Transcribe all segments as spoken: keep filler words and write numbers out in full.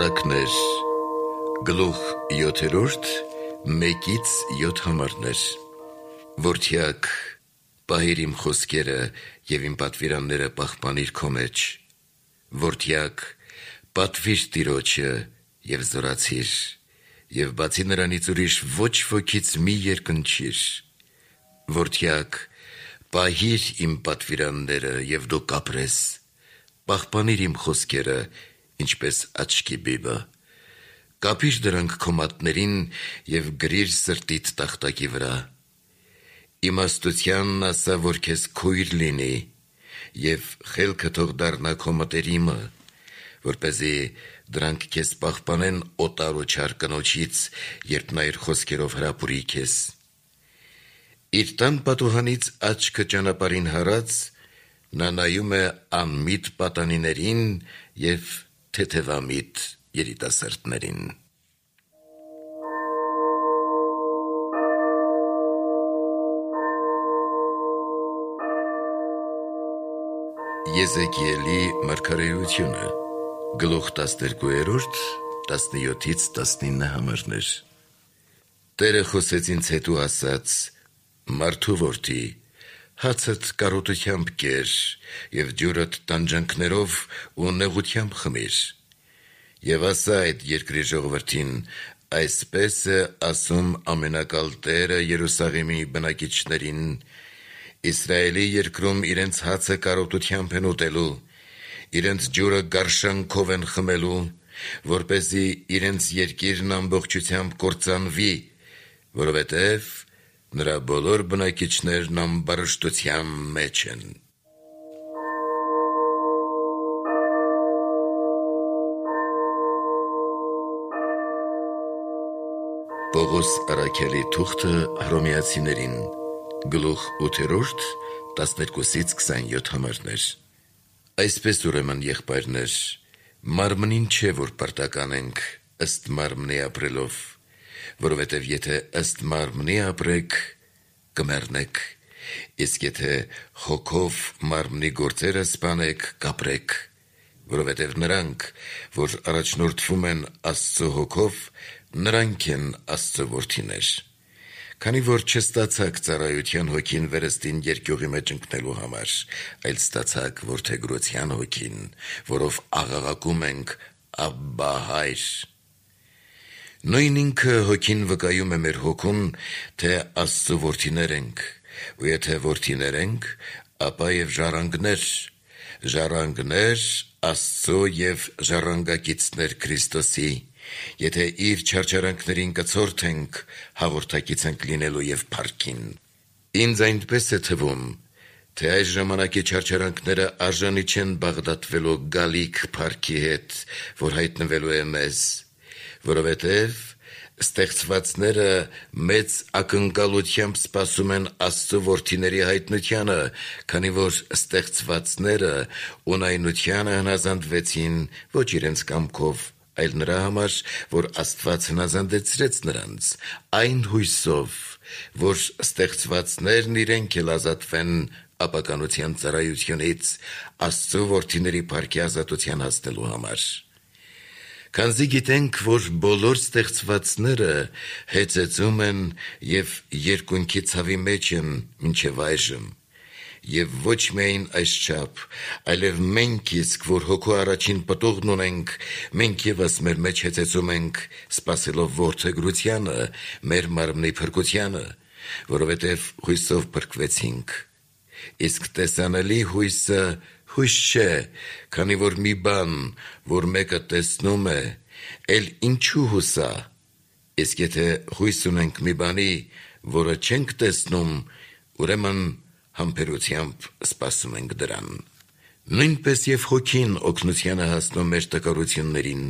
Առակներ, գլուխ յոթերորդ, մեկից յոթ համարներ, որդյակ, պահիր իմ խոսքերը և իմ պատվիրանները պահպանիր քո մեջ, որդյակ, պատվիր Տիրոջը և զորացիր, և բացի նրանից ուրիշ ոչ ոքից մի երկնչիր, որդյակ, պահիր իմ պատվիրանները և դու կապրես, պահպանիր իմ խոսքերը, ինչպես աչքի բիբը, կապիր դրանք քո մատներին և գրիր սրտիդ տախտակի վրա, իմաստությանն ասա, որ քեզ քույր լինի, և խելքը թող դառնա քո մտերիմը, որպեսզի դրանք քեզ պահպանեն օտար ու չար կնոջից, երբ նա իր խոսքերով հրապուրի քեզ, իր տան պատուհանից աչքը ճանապարհին հառած, նա նայում է անմիտ պատանիներին և թեթևամիտ երիտասարդներին։ Եզեկիելի մարգարեությունը, գլուխ տասներկուերորդ, տասնյոթից տասնինը համարներ։ Տերը խոսեց ինձ հետ ու ասաց. «Մարդու որդի, հացդ կարոտությամբ կեր և ջուրդ տանջանքներով ու նեղությամբ խմիր, և ասա այդ երկրի ժողովրդին. այսպես է ասում ամենակալ Տերը Երուսաղեմի բնակիչներին. Իսրայելի երկրում իրենց հացը կարոտությամբ են ուտելու, իրենց ջուրը գարշանքով են խմելու, որպեսզի իրենց երկիրն ամբողջությամբ կործանվի, որովհետև նրա բոլոր բնակիչներն ամբարշտության մեջ են»։ Պողոս առաքյալի թուղթը Հռոմեացիներին, գլուխ ութերորդ, տասներկուսից քսանյոթ համարներ։ Այսպես ուրեմն, եղբայրներ, մարմնին չէ, որ պարտականենք ըստ մարմնի ապրելով, որովհետև եթե ըստ մարմնի ապրեք, կմեռնեք, իսկ եթե հոգով մարմնի գործերը սպանեք, կապրեք, որովհետև նրանք, որ առաջնորդվում են Աստծո հոգով, նրանք են Աստծո որդիներ, քանի որ չստացաք ծառայության հոգին վերստին երկյուղի մեջ ընկնելու համար, այլ ստացաք որդեգրության հոգին, որով աղաղակում ենք. «Աբբա, Հայր»։ Նույն ինքը հոգին վկայում է մեր հոգուն, թե Աստծո որդիներ ենք, ու եթե որդիներ ենք, ապա և ժառանգներ, ժառանգներ Աստծո և ժառանգակիցներ Քրիստոսի, եթե իր չարչարանքներին կցորդենք, հաղորդակից ենք լինելու և փառքին։ Ինձ այնպես է թվում, թե այս ժամանակի չարչարանքները արժանի չեն բաղդատվելու գալիք փառքի հետ, որ հայտնվելու է մեզ, որովհետև ստեղծվածները մեծ ակնկալությամբ սպասում են Աստծո որդիների հայտնությանը, քանի որ ստեղծվածները ունայնությանը հնազանդվեցին ոչ իրենց կամքով, այլ նրա համար, որ Աստված հնազանդեցրեց նրանց, այն հույսով, որ ստեղծվածներն իրենք էլ ազատվեն ապականության ծառայությունից, Աստծո որդիների փառքի ազատության հասնելու համար։ Քանզի գիտենք, որ բոլոր ստեղծվածները հեծեծում են և երկունքի ցավի մեջ են մինչև այժմ, և ոչ միայն այսչափ, այլև մենք իսկ, որ հոգու առաջին պտուղն ունենք, մենք ևս մեր մեջ հեծեծում ենք, սպասելով որդեգրությանը, մեր մարմնի փրկությանը, որովհետև հույսով փրկվեցինք, իսկ տեսանելի հույսը հույս չէ, քանի որ մի բան, որ մեկը տեսնում է, էլ ինչու հուսա, իսկ եթե հույս ունենք մի բանի, որը չենք տեսնում, ուրեմն համբերությամբ սպասում ենք դրան։ Նույնպես և հոգին օգնության է հասնում մեր տկարություններին,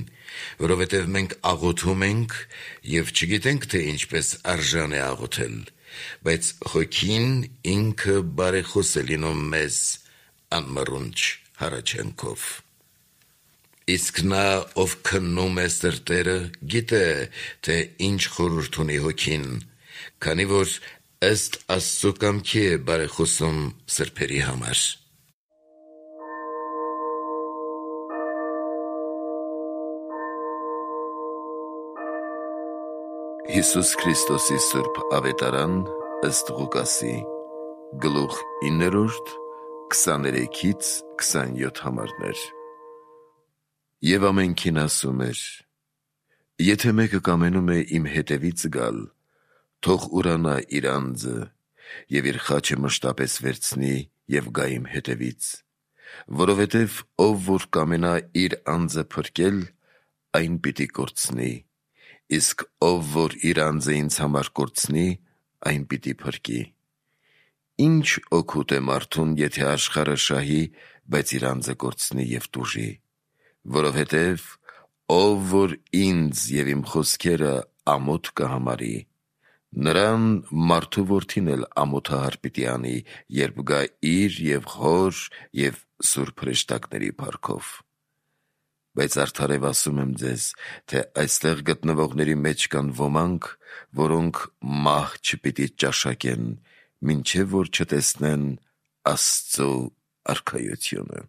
որովհետև մենք աղոթում ենք և չգիտենք, թե ինչպես արժան է աղոթել, բայց հոգին ինքը բարեխոս է լինում մեզ անմռունչ հառաչանքով։ Իսկ նա, ով քննում է սրտերը, գիտե, թե ինչ խորհուրդ ունի հոգին, քանի որ ըստ Աստծո կամքի է բարեխոսում սրբերի համար։ Հիսուս Քրիստոսի Սուրբ Ավետարան ըստ Ղուկասի, գլուխ իններորդ, քսաներեքից քսանյոթ համարներ։ Եվ ամենքին ասում էր. եթե մեկը կամենում է իմ հետևից գալ, թող ուրանա իր անձը և իր խաչը մշտապես վերցնի և գա իմ հետևից, որովհետև ով որ կամենա իր անձը փրկել, այն պիտի կորցնի, իսկ ով որ իր անձը ինձ համար կորցնի, այն պիտի փրկի։ Ինչ օգուտ է մարդուն, եթե աշխարհը շահի, բայց իր անձը կորցնի և տուժի, որովհետև ով որ ինձ և իմ խոսքերը ամոթ կհամարի, նրան մարդու որդին էլ ամոթահար պիտի անի, երբ գա իր և հոր և սուրբ հրեշտակների փառքով։ Բայց արդարև ասում եմ ձեզ, թե այստեղ գտնվողների մեջ կան ոմանք, որոնք մահ չպիտի ճաշակեն, մինչև որ չտեսնեն Աստծու արքայությունը։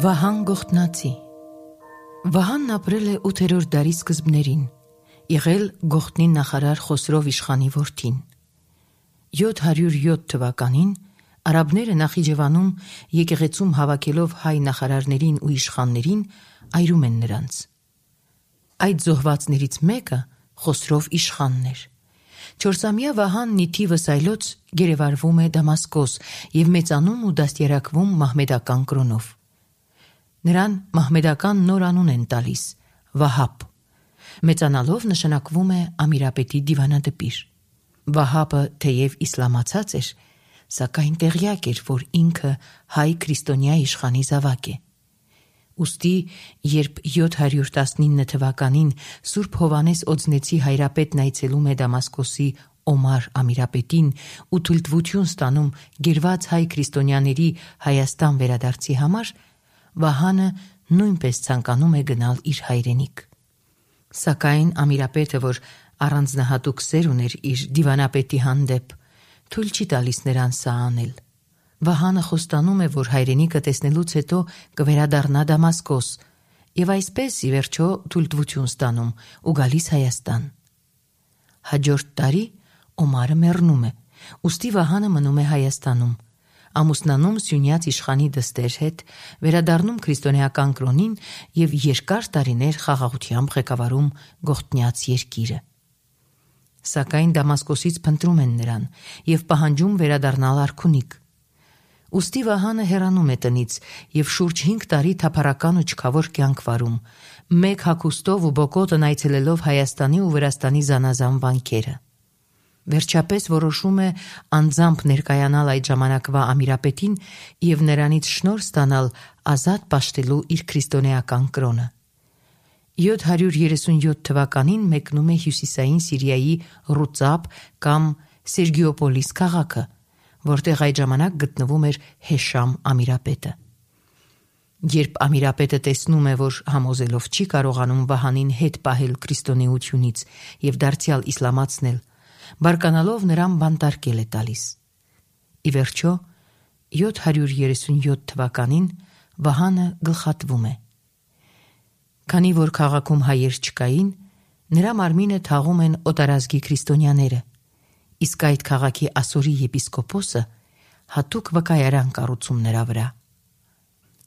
Վահան Գողթնացի Վահանն ապրել է ութերորդ դարի սկզբներին, եղել Գողթնի նախարար Խոսրով իշխանի որդին։ յոթ հարյուր յոթ թվականին արաբները Նախիջևանում եկեղեցում հավաքելով հայ նախարարներին ու իշխաններին այրում են նրանց։ Այդ զոհվածներից մեկը Խոսրով իշխանն էր։ Չորսամյա Վահանն ի թիվս այլոց գերեվարվում է Դամասկոս և մեծանում ու դաստիարակվում մահմեդական կրոնով։ Նրան մահմեդական նոր անուն են տալիս՝ Վահապ։ Մեծանալով նշանակվում է Ամիրապետի դիվանադպիր։ Վահապը թեև իսլամացած էր, սակայն տեղյակ էր, որ ինքը հայ քրիստոնյա իշխանի զավակ է։ Ուստի, երբ յոթ հարյուր տասնինը թվականին Սուրբ Հովհաննես Օձնեցի հայրապետն այցելում է Դամասկոսի Օմար Ամիրապետին ու թույլտվություն ստանում գերված հայ քրիստոնյաների Հայաստան վերադարձի համար, Վահանը նույնպես ցանկանում է գնալ իր հայրենիք։ Սակայն Ամիրապետը, որ առանձնահատուկ սեր ուներ իր դիվանապետի հանդեպ, թույլ չի տալիս նրան սա անել։ Վահանը խոստանում է, որ հայրենիքը տեսնելուց հետո կվերադառնա Դամասկոս և այսպես ի վերջո թույլտվություն ստանում ու գալիս Հայաստան։ Հաջորդ տարի Օմարը մեռնում է, ուստի Վահանը մնում է Հայաստանում, ամուսնանում Սյունյաց իշխանի դստեր հետ, վերադառնում քրիստոնեական կրոնին և երկար տարիներ խաղաղությամբ ղեկավարում Գողթնյաց երկիրը։ Սակայն Դամասկոսից փնտրում են նրան և պահանջում վերադառնալ արքունիք։ Ուստի Վահանը հեռանում է տնից և շուրջ հինգ տարի թափառական ու չքավոր կյանք վարում, մեկ հագուստով ու բոկոտն այցելելով Հայաստանի ու Վրաստանի զանազան վանքերը։ Վերջապես որոշում է անձամբ ներկայանալ այդ ժամանակվա Ամիրապետին և նրանից շնորհ ստանալ ազատ պաշտելու իր քրիստոնեական կրոնը։ յոթ հարյուր երեսունյոթ թվականին մեկնում է հյուսիսային Սիրիայի Ռուծապ կամ Սերգիոպոլիս քաղաքը, որտեղ այդ ժամանակ գտնվում էր Հեշամ Ամիրապետը։ Երբ Ամիրապետը տեսնում է, որ համոզելով չի կարողանում Վահանին հետ պահել քրիստոնեությունից և դարձյալ իսլամացնել, բարկանալով նրան բանտարկել է տալիս։ Ի վերջո, յոթ հարյուր երեսունյոթ թվականին Վահանը գլխատվում է։ Քանի որ քաղաքում հայեր չկային, նրա մարմինը թաղում են օտարազգի քրիստոնյաները, իսկ այդ քաղաքի Ասորի եպիսկոպոսը հատուկ վկայարան կառուցում նրա վրա։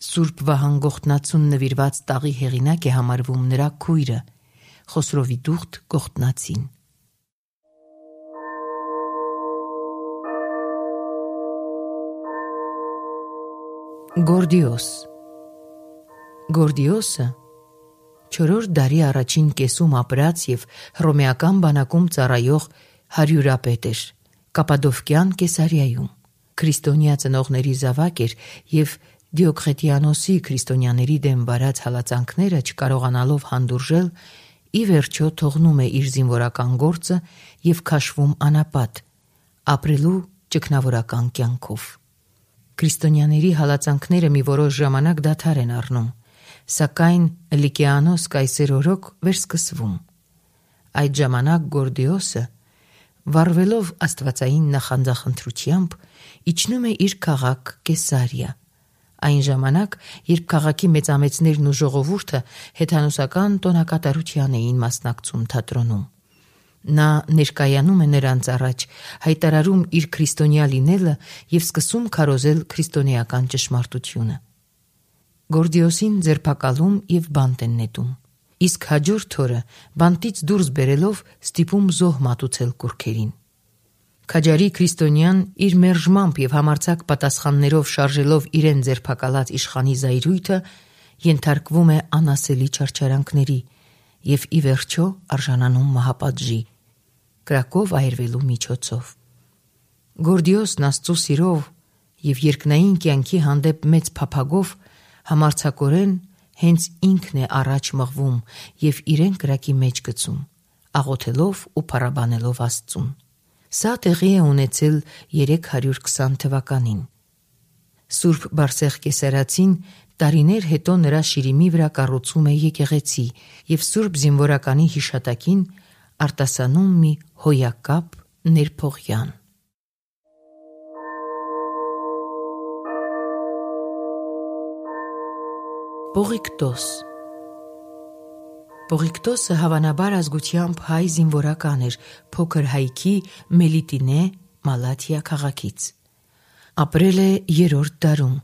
Սուրբ Վահան Գողթնացուն նվիրված տաղի հեղինակ է համարվում նրա քույրը՝ Խոսրովի դուխտ Գողթնացին։ Գորդիոս Գորդիոսը չորրորդ դարի առաջին կեսում ապրած և հռոմեական բանակում ծառայող հարյուրապետ էր, Կապադովկյան Կեսարիայում, քրիստոնյա ծնողների զավակ էր և Դիոկղետիանոսի քրիստոնյաների դեմ վարած հալածանքները չկարողանալով հանդուրժել, ի վերջո թողնում է իր զինվորական գործը և քաշվում անապատ, ապրելու ճգնավորական կյանքով։ Քրիստոնյաների հալածանքները մի որոշ ժամանակ դադար են առնում, սակայն Լիկիանոս կայսեր օրոք վերսկսվում։ Այդ ժամանակ Գորդիոսը, վառվելով աստվածային նախանձախնդրությամբ, իջնում է իր քաղաք Կեսարիա, Այն ժամանակ, երբ քաղաքի մեծամեծներն ու ժողովուրդը հեթանոսական տոնակատարության էին մասնակցում թատրոնում։ Նա ներկայանում է նրանց առաջ, հայտարարում իր քրիստոնյա լինելը եւ սկսում քարոզել քրիստոնեական ճշմարտությունը։ Գորդիոսին ձերբակալում եւ բանտ են նետում, իսկ հաջորդ օրը բանտից դուրս բերելով ստիպում զոհ մատուցել կուռքերին։ Քաջարի քրիստոնյան իր մերժմամբ եւ համարձակ պատասխաններով շարժելով իրեն ձերբակալած իշխանի զայրույթը ենթարկվում է անասելի չարչարանքների եւ ի վերջո արժանանում մահապատժի, կրակով այրվելու միջոցով։ Գորդիոսն Աստծո սիրով եւ երկնային կյանքի հանդեպ մեծ փափագով համարձակորեն հենց ինքն է առաջ մղվում եւ իրեն կրակի մեջ գցում, աղոթելով ու փառաբանելով Աստծուն։ Սա տեղի է ունեցել երեք հարյուր քսան թվականին։ Սուրբ Բարսեղ Կեսարացին տարիներ հետո նրա շիրիմի վրա կառուցում է եկեղեցի եւ Սուրբ Զինվորականի հիշատակին արտասանում մի հոյակապ ներփողյան։ Պողիկտոս Պողիկտոսը հավանաբար ազգությամբ հայ զինվորական էր փոքր հայքի Մելիտինե Մալաթիա քաղաքից։ Ապրել է երրորդ դարում,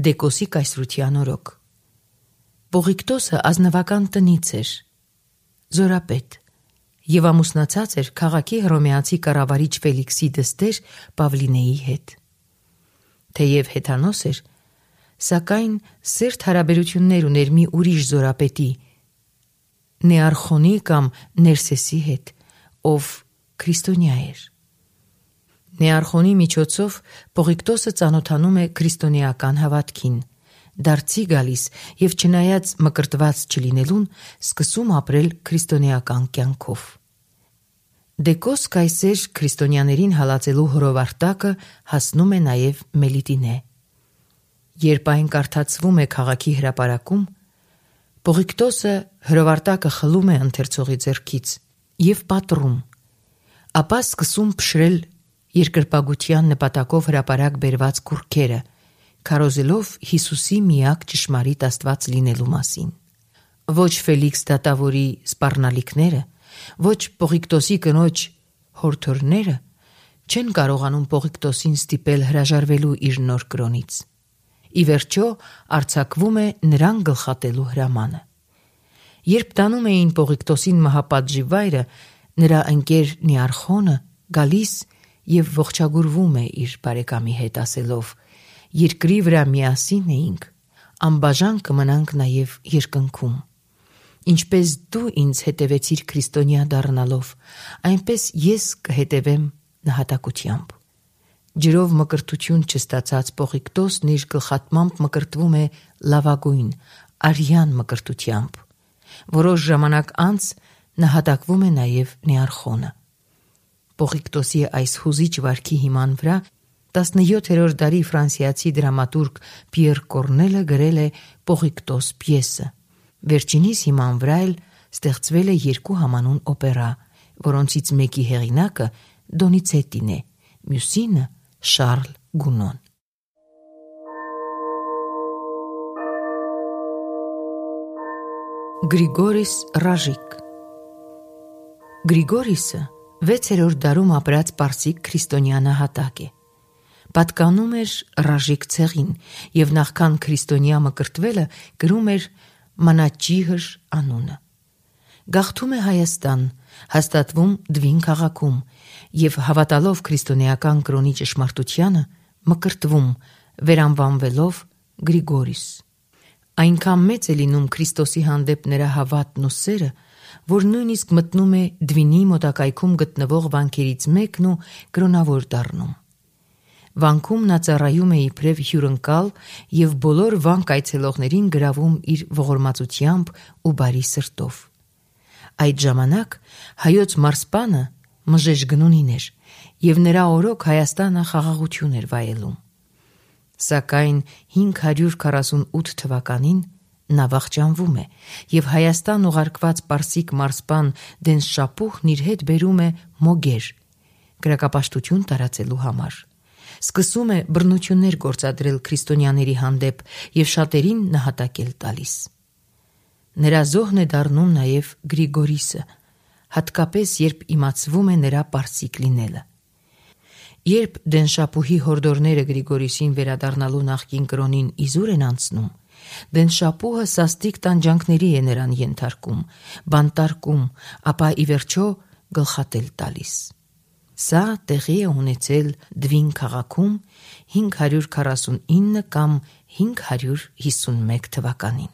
Դեկոսի կայսրության օրոք։ Պողիկտոսը ազնվական տնից էր, զորապետ, եւ ամուսնացած էր քաղաքի հռոմեացի կառավարիչ Ֆելիքսի դստեր Պավլինեի հետ։ Թեև հեթանոս էր, սակայն սերտ հարաբերություններ ուներ մի ուրիշ զորապետի, Նեարխոնի կամ Ներսեսի հետ, ով քրիստոնյա էր։ Նեարխոնի միջոցով Պողիկտոսը ծանոթանում է քրիստոնեական հավատքին, դարձի գալիս եւ չնայած մկրտված չլինելուն սկսում ապրել քրիստոնեական կյանքով։ Դեկոս կայսեր քրիստոնյաներին հալածելու հրովարտակը հասնում է նաեւ Մելիտինե։ Երբ այն կարդացվում է քաղաքի հրապարակում, Պողիկտոսը հրովարտակը խլում է ընթերցողի ձեռքից եւ պատռում, ապա սկսում փշրել երկրպագության նպատակով հրապարակ բերված կուռքերը, քարոզելով Հիսուսի միակ ճշմարիտ Աստված լինելու մասին։ Ոչ Ֆելիքս դատավորի սպառնալիքները, ոչ Պողիկտոսի կնոջ հորթորները չեն կարողանում Պողիկտոսին ստիպել հրաժարվելու իր նոր կրոնից։ Ի վերջո արձակվում է նրան գլխատելու հրամանը։ Երբ տանում էին Պողիկտոսին մահապատժի վայրը, նրա ընկեր Նեարխոնը գալիս եւ ողջագուրվում է իր բարեկամի հետ ասելով. «Երկրի վրա միասին էինք, անբաժան կմնանք նաեւ երկնքում։ Ինչպես դու ինձ հետևեցիր քրիստոնյա դառնալով, այնպես ես կհետևեմ նահատակությամբ»։ Ջրով մկրտություն չստացած Պողիկտոսն իր գլխատմամբ մկրտվում է լավագույն, արյան մկրտությամբ։ Որոշ ժամանակ անց նահատակվում է նաև Նեարխոնը։ Պողիկտոսի այս հուզիչ վարքի հիման վրա տասնյոթերորդ դարի ֆրանսիացի դրամատուրգ Պիեր Կորնելը գրել է Պողիկտոս պիեսը։ Վերջինիս հիման վրա էլ ստեղծվել է երկու համանուն օպերա, որոնցից մեկի հեղինակը Դոնիցետին է, մյուսինը Շարլ Գունոն։ Գրիգորիս Ռաժիկ Գրիգորիսը վեցերորդ դարում ապրած պարսիկ քրիստոնյա նահատակ է։ Պատկանում էր Ռաժիկ ցեղին եւ նախքան քրիստոնյա մկրտվելը գրում էր Մանաճիհր անունը։ Գաղթում է Հայաստան, հաստատվում Դվին քաղաքում եւ հավատալով քրիստոնեական կրոնի ճշմարտությանը մկրտվում, վերանվանվելով Գրիգորիս։ Այնքան մեծ է լինում Քրիստոսի հանդեպ նրա հավատն ու սերը, որ նույնիսկ մտնում է Դվինի մոտակայքում գտնվող վանքերից մեկն ու կրոնավոր դառնում։ Վանքում նա ծառայում է իբրև հյուրընկալ եւ բոլոր վանք այցելողներին գրավում իր ողորմածությամբ ու բարի սրտով։ Այդ ժամանակ հայոց մարսպանը Մժեշ Գնունին էր եւ նրա օրոք Հայաստանը խաղաղություն էր վայելում։ Սակայն հինգ հարյուր քառասունութ թվականին նա վախճանվում է եւ Հայաստան ուղարկված պարսիկ մարսպան Դենշապուհն իր հետ բերում է Մոգեր, գրակապաշտություն տարածելու համար։ Սկսում է բռնություններ գործադրել քրիստոնյաների հանդեպ եւ շատերին նահատակել տալիս։ Նրա զոհն է դառնում նաեւ Գրիգորիսը, հատկապես երբ իմացվում է նրա պարսիկ լինելը։ Երբ Դենշապուհի հորդորները Գրիգորիսին վերադառնալու նախկին կրոնին իզուր են անցնում, Դենշապուհը սաստիկ տանջանքների է նրան ենթարկում, բանտարկում, ապա ի վերջո գլխատել տալիս։ Սա տեղի է ունեցել Դվին քաղաքում հինգ հարյուր քառասունինը կամ հինգ հարյուր հիսունմեկ թվականին։